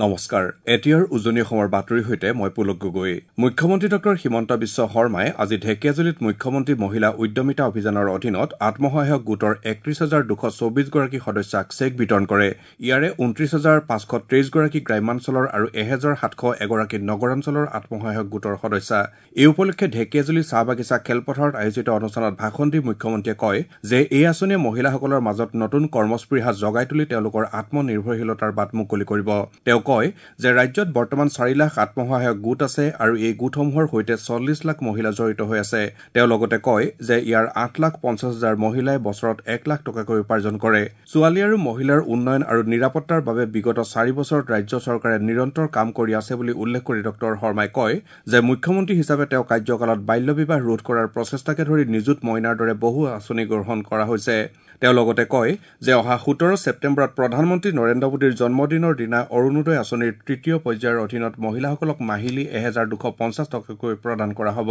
নমস্কাৰ, এতিয়াৰ উজনি অসমৰ বাতৰিৰ সৈতে মই পুলক গগৈ। মুখ্যমন্ত্ৰী ডক্টৰ হিমন্ত বিশ্ব শৰ্মাই আজি ঢেকীয়াজুলিত মুখ্যমন্ত্ৰী মহিলা উদ্যমিতা অভিযানৰ অধীনত আত্মসহায়ক গোটৰ ৩১,২২৪ গৰাকী সদস্যাক চেক বিতৰণ কৰে। ইয়াৰে ২৯,৫২৩ গৰাকী গ্ৰাম্যাঞ্চলৰ আৰু ১,৭০১ গৰাকী নগৰাঞ্চলৰ আত্মসহায়ক গোটৰ সদস্যা। এই উপলক্ষে ঢেকীয়াজুলি চাহ বাগিচা খেলপথাৰত আয়োজিত অনুষ্ঠানত ভাষণ দি মুখ্যমন্ত্ৰীয়ে কয় যে এই আঁচনিয়ে মহিলাসকলৰ মাজত নতুন কৰ্মস্পৃহা জগাই তুলি তেওঁলোকৰ আত্মনিৰ্ভৰশীলতাৰ বাট মুকলি কৰিব। তেওঁ কয় যে ৰাজ্যত বৰ্তমান ৪ লাখ আত্মসহায়ক গোট আছে আৰু এই গোটসমূহৰ সৈতে ৪০ লাখ মহিলা জড়িত হৈ আছে। তেওঁ লগতে কয় যে ইয়াৰ ৮,৫০,০০০ মহিলাই বছৰত ১ লাখ টকাকৈ উপাৰ্জন কৰে। ছোৱালী আৰু মহিলাৰ উন্নয়ন আৰু নিৰাপত্তাৰ বাবে বিগত ৪ বছৰত ৰাজ্য চৰকাৰে নিৰন্তৰ কাম কৰি আছে বুলি উল্লেখ কৰি ডক্টৰ শৰ্মাই কয় যে মুখ্যমন্ত্ৰী হিচাপে তেওঁ কাৰ্যকালত বাল্য বিবাহ ৰোধ কৰাৰ প্ৰচেষ্টাকে ধৰি নিযুত মইনাৰ দৰে বহু আঁচনি গ্ৰহণ কৰা হৈছে। তেওঁ লগতে কয় যে অহা ১৭ ছেপ্টেম্বৰত প্ৰধানমন্ত্ৰী নৰেন্দ্ৰ মোদীৰ জন্মদিনৰ দিনা অৰুণোদয় আঁচনিৰ তৃতীয় পৰ্যায়ৰ অধীনত মহিলাসকলক মাহিলী ১,২৫০ টকাকৈ প্ৰদান কৰা হ'ব।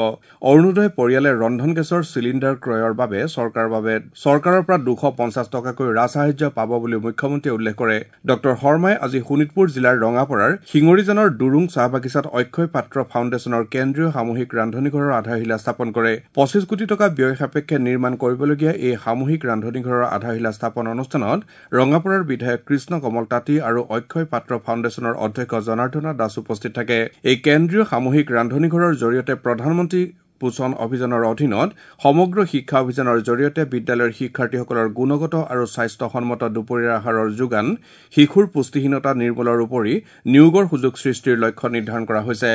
অৰুণোদয় পৰিয়ালে ৰন্ধন গেছৰ চিলিণ্ডাৰ ক্ৰয়ৰ বাবে চৰকাৰৰ পৰা ২৫০ টকাকৈ ৰাজসাহায্য পাব বুলি মুখ্যমন্ত্ৰীয়ে উল্লেখ কৰে। ডক্টৰ শৰ্মাই আজি শোণিতপুৰ জিলাৰ ৰঙাপৰাৰ শিঙৰিজানৰ দুৰুং চাহ বাগিচাত অক্ষয় পাত্ৰ ফাউণ্ডেশ্যনৰ কেন্দ্ৰীয় সামূহিক ৰান্ধনীঘৰৰ আধাৰশিলা স্থাপন কৰে। ২৫ কোটি টকা ব্যয় সাপেক্ষে নিৰ্মাণ কৰিবলগীয়া এই সামূহিক ৰান্ধনীঘৰৰ আধাৰশিলা স্থাপন অনুষ্ঠানত ৰঙাপৰাৰ বিধায়ক কৃষ্ণ কমল তাঁতী আৰু অক্ষয় পাত্ৰ ফাউণ্ডেশ্যনৰ অধ্যক্ষ জনাৰ্দনা দাস উপস্থিত থাকে। এই কেন্দ্ৰীয় সামূহিক ৰান্ধনীঘৰৰ জৰিয়তে প্ৰধানমন্ত্ৰী পোষণ অভিযানৰ অধীনত সমগ্ৰ শিক্ষা অভিযানৰ জৰিয়তে বিদ্যালয়ৰ শিক্ষাৰ্থীসকলৰ গুণগত আৰু স্বাস্থ্যসন্মত দুপৰীয়াৰ আহাৰৰ যোগান, শিশুৰ পুষ্টিহীনতা নিৰ্মূলৰ উপৰি নিয়োগৰ সুযোগ সৃষ্টিৰ লক্ষ্য নিৰ্ধাৰণ কৰা হৈছে।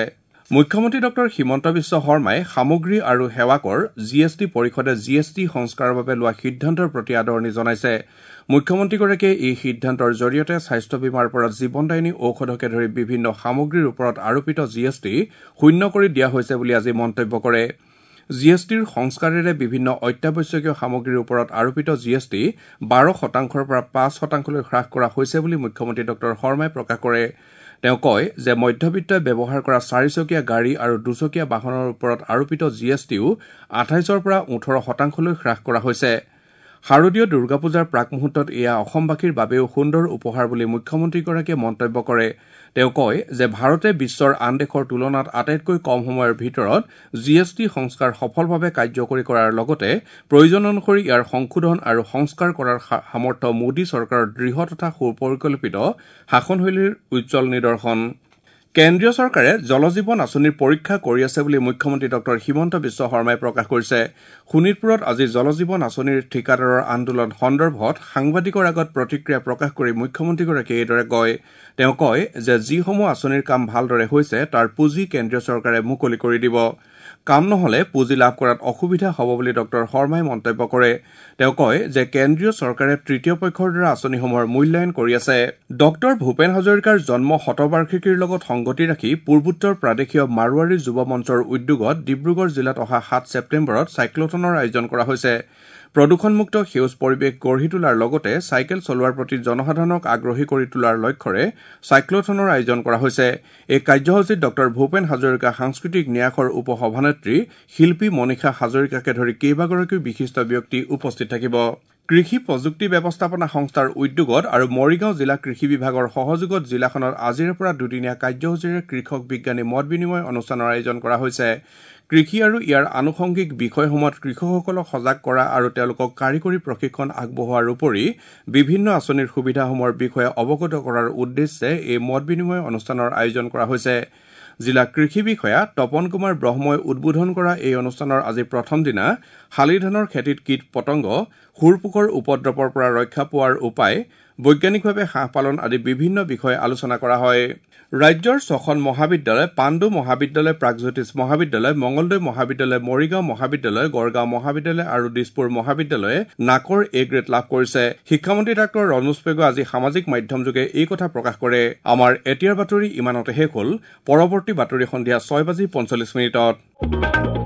মুখ্যমন্ত্ৰী ডক্টৰ হিমন্ত বিশ্ব শৰ্মাই সামগ্ৰী আৰু সেৱা কৰ জি এছ টি পৰিষদে জি এছ টি সংস্কাৰৰ বাবে লোৱা সিদ্ধান্তৰ প্ৰতি আদৰণি জনাইছে। মুখ্যমন্ত্ৰীগৰাকীয়ে এই সিদ্ধান্তৰ জৰিয়তে স্বাস্থ্য বীমাৰ পৰা জীৱনদায়িনী ঔষধকে ধৰি বিভিন্ন সামগ্ৰীৰ ওপৰত আৰোপিত জি এছ টি শূন্য কৰি দিয়া হৈছে বুলি আজি মন্তব্য কৰে। জি এছ টিৰ সংস্কাৰেৰে বিভিন্ন অত্যাৱশ্যকীয় সামগ্ৰীৰ ওপৰত আৰোপিত জি এছ টি ১২ শতাংশৰ পৰা ৫ শতাংশলৈ হ্ৰাস কৰা হৈছে বুলি মুখ্যমন্ত্ৰী ডক্টৰ শৰ্মাই প্ৰকাশ কৰে। তেওঁ কয় যে মধ্যবিত্তই ব্যৱহাৰ কৰা চাৰিচকীয়া গাড়ী আৰু দুচকীয়া বাহনৰ ওপৰত আৰোপিত জি এছ টিও ২৮ৰ পৰা ১৮ শতাংশলৈ হ্ৰাস কৰা হৈছে। শাৰদীয় দুৰ্গা পূজাৰ প্ৰাকমুহূৰ্তত এয়া অসমবাসীৰ বাবেও সুন্দৰ উপহাৰ বুলি মুখ্যমন্ত্ৰীগৰাকীয়ে মন্তব্য কৰে। তেওঁ কয় যে ভাৰতে বিশ্বৰ আন দেশৰ তুলনাত আটাইতকৈ কম সময়ৰ ভিতৰত জি এছ টি সংস্কাৰ সফলভাৱে কাৰ্যকৰী কৰাৰ লগতে প্ৰয়োজন অনুসৰি ইয়াৰ সংশোধন আৰু সংস্কাৰ কৰাৰ সামৰ্থ্য মোদী চৰকাৰৰ দৃঢ় তথা সুপৰিকল্পিত শাসনশৈলীৰ উজ্জ্বল নিদৰ্শন। কেন্দ্ৰীয় চৰকাৰে জলজীৱন আঁচনিৰ পৰীক্ষা কৰি আছে বুলি মুখ্যমন্ত্ৰী ডক্টৰ হিমন্ত বিশ্ব শৰ্মাই প্ৰকাশ কৰিছে। শোণিতপুৰত আজি জলজীৱন আঁচনিৰ ঠিকাদাৰৰ আন্দোলন সন্দৰ্ভত সাংবাদিকৰ আগত প্ৰতিক্ৰিয়া প্ৰকাশ কৰি মুখ্যমন্ত্ৰীগৰাকীয়ে এইদৰে কয়। তেওঁ কয় যে যিসমূহ আঁচনিৰ কাম ভালদৰে হৈছে তাৰ পুঁজি কেন্দ্ৰীয় চৰকাৰে মুকলি কৰি দিব। কাম নহলে পুঁজি লাভ কৰাত অসুবিধা হ'ব বুলি ডক্টৰ শৰ্মাই মন্তব্য কৰে। তেওঁ কয় যে কেন্দ্ৰীয় চৰকাৰে তৃতীয় পক্ষৰ দ্বাৰা আঁচনিসমূহৰ মূল্যায়ন কৰি আছে। ডক্টৰ ভূপেন হাজৰিকাৰ জন্ম শতবাৰ্ষিকীৰ লগত সংগতি ৰাখি পূৰ্বোত্তৰ প্ৰাদেশীয় মাৰোৱাৰী যুৱ মঞ্চৰ উদ্যোগত ডিব্ৰুগড় জিলাত অহা ৭ ছেপ্টেম্বৰত চাইক্লথনৰ আয়োজন কৰা হৈছে। প্ৰদূষণমুক্ত সেউজ পৰিৱেশ গঢ়ি তোলাৰ লগতে চাইকেল চলোৱাৰ প্ৰতি জনসাধাৰণক আগ্ৰহী কৰি তোলাৰ লক্ষ্যৰে চাইক্লথনৰ আয়োজন কৰা হৈছে। এই কাৰ্যসূচীত ডক্টৰ ভূপেন হাজৰিকা সাংস্কৃতিক ন্যাসৰ উপ সভানেত্ৰী শিল্পী মনীষা হাজৰিকাকে ধৰি কেইবাগৰাকীও বিশিষ্ট ব্যক্তি উপস্থিত থাকিব। কৃষি প্ৰযুক্তি ব্যৱস্থাপনা সংস্থাৰ উদ্যোগত আৰু মৰিগাঁও জিলা কৃষি বিভাগৰ সহযোগত জিলাখনত আজিৰে পৰা দুদিনীয়া কাৰ্যসূচীৰে কৃষক বিজ্ঞানী মত বিনিময় অনুষ্ঠানৰ আয়োজন কৰা হৈছে। কৃষি আৰু ইয়াৰ আনুষংগিক বিষয়সমূহত কৃষকসকলক সজাগ কৰা আৰু তেওঁলোকক কাৰিকৰী প্ৰশিক্ষণ আগবঢ়োৱাৰ উপৰি বিভিন্ন আঁচনিৰ সুবিধাসমূহৰ বিষয়ে অৱগত কৰাৰ উদ্দেশ্যে এই মত বিনিময় অনুষ্ঠানৰ আয়োজন কৰা হৈছে। জিলা কৃষি বিষয়া তপন কুমাৰ ব্ৰহ্মই উদ্বোধন কৰা এই অনুষ্ঠানৰ আজি প্ৰথম দিনা শালি ধানৰ খেতিত কীট পতংগ, শুৰপোকৰ উপদ্ৰৱৰ পৰা ৰক্ষা পোৱাৰ উপায়, বৈজ্ঞানিকভাৱে হাঁহ পালন আদি বিভিন্ন বিষয়ে আলোচনা কৰা হয়। ৰাজ্যৰ ছখন মহাবিদ্যালয় পাণ্ডু মহাবিদ্যালয়, প্ৰাগজ্যোতিষ মহাবিদ্যালয়, মঙলদৈ মহাবিদ্যালয়, মৰিগাঁও মহাবিদ্যালয়, গড়গাঁও মহাবিদ্যালয় আৰু দিছপুৰ মহাবিদ্যালয়ে নাকৰ এ গ্ৰেড লাভ কৰিছে। শিক্ষামন্ত্ৰী ডাঃ ৰণোজ পেগুৱে আজি সামাজিক মাধ্যমযোগে এই কথা প্ৰকাশ কৰে। আমাৰ এতিয়াৰ বাতৰি ইমানতে শেষ হ'ল। পৰৱৰ্তী বাতৰি সন্ধিয়া ৬:৪৫।